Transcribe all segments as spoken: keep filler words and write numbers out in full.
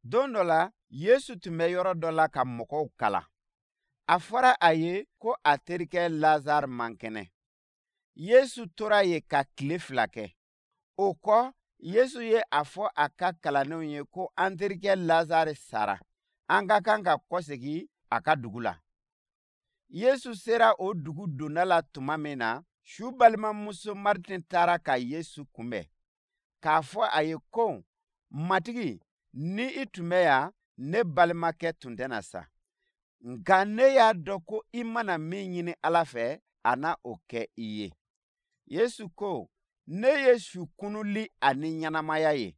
Don dɔ la, Yesu tun bɛ yɔrɔ dɔ la ka mɔgɔw kalan. A fɔra a ye ko a terikɛ Lazare man kɛnɛ. Yesu tora yen ka tile fila kɛ. O kɔ, Yesu ye a fɔ a ka kalandenw ye ko an terikɛ Lazare sara, an ka kan ka kɔsegin a ka dugu la. Yesu sera o dugu donda la tuma min na, su balimamuso Martin taara ka Yesu kunbɛn, k'a fɔ a ye ko, Matigi, ni i tun bɛ yan, ne balimakɛ tun tɛna sa. Nka ne y'a dɔn ko i mana min ɲini Ala fɛ, a na o kɛ i ye. Yesu ko, ne ye su kununli ani ɲɛnamaya ye.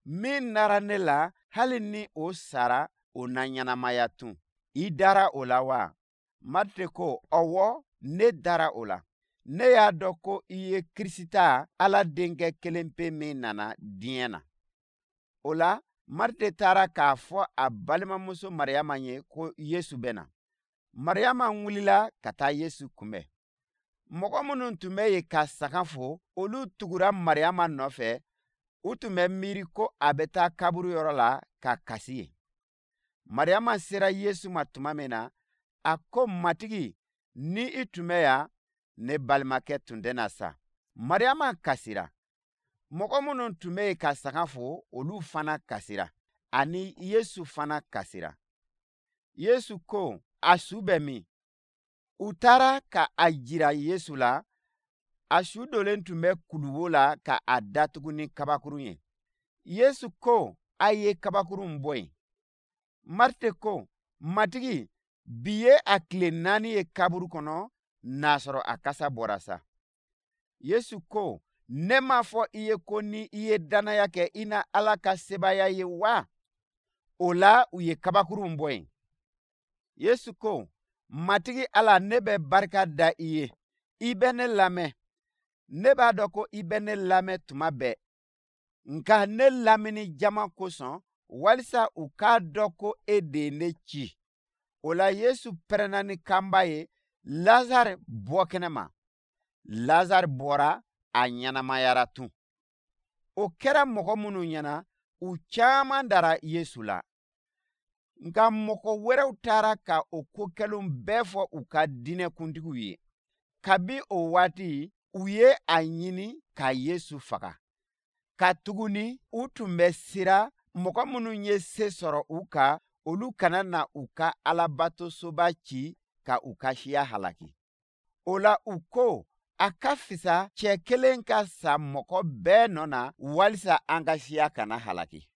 Min nara ne la, hali ni o sara, o na ɲɛnamaya tun. I dara o la wa? Marite ko, ɔwɔ, ne dara o la. Ne y'a dɔn ko i ye Krisita, Ala denkɛ kelen pe min nana diɲɛ na. O la, Marite taara k'a fɔ a balimamuso Mariyama ye ko Yesu bɛ na. Mariyama wulila ka taa Yesu kunbɛn. Mɔgɔ minnu tun bɛ yen ka saga fo, olu tugura Mariyama nɔfɛ. U tun bɛ miiri ko a bɛ taa kaburu yɔrɔ la ka kasi yen. Mariyama sera Yesu ma tuma min na, a ko, Matigi, ni i tun bɛ yan, ne balimakɛ tun tɛna sa. Mariyama kasira. Mɔgɔ minnu tun bɛ yen ka saga fo, olu fana kasira, ani Yesu fana kasira. Yesu ko, a su bɛ min? U taara ka a jira Yesu la. A su donnen tun bɛ kuluwo la ka a datugu ni kabakurun ye. Yesu ko, a ye kabakurun bɔ yen. Marite ko, Matigi, bi ye a tile naani ye kaburu kɔnɔ, n'a sɔrɔ a kasa bɔra sa. Yesu ko, ne m'a fɔ i ye ko ni i ye dannaya kɛ, i na Ala ka sebaaya ye wa? O la, u ye kabakurun bɔ yen. Yesu ko, Matigi Ala, ne bɛ barika da i ye. I bɛ ne lamɛn. Ne b'a dɔn ko i bɛ ne lamɛn tuma bɛɛ. Nka ne lamini jama kosɔn, walisa u k'a dɔn ko e de ye ne ci. O la, Yesu pɛrɛnna ni kanba ye, Lazare bɔ kɛnɛ ma. Lazare bɔra, a ɲɛnamayara tun. O kɛra mɔgɔ minnu ɲɛna, u caman dara Yesu la. Nka mɔgɔ wɛrɛw taara ka o ko kɛlenw bɛɛ fɔ u ka diinɛkuntigiw ye. Kabi o waati, u ye a ɲini ka Yesu faga. Katuguni u tun bɛ siran mɔgɔ minnu ye se sɔrɔ u kan, olu kana na u ka alabatosoba ci ka u ka siya halaki. O la, u ko, a ka fisa cɛ kelen ka sa mɔgɔ bɛɛ nɔ na, walisa an ka siya kana halaki.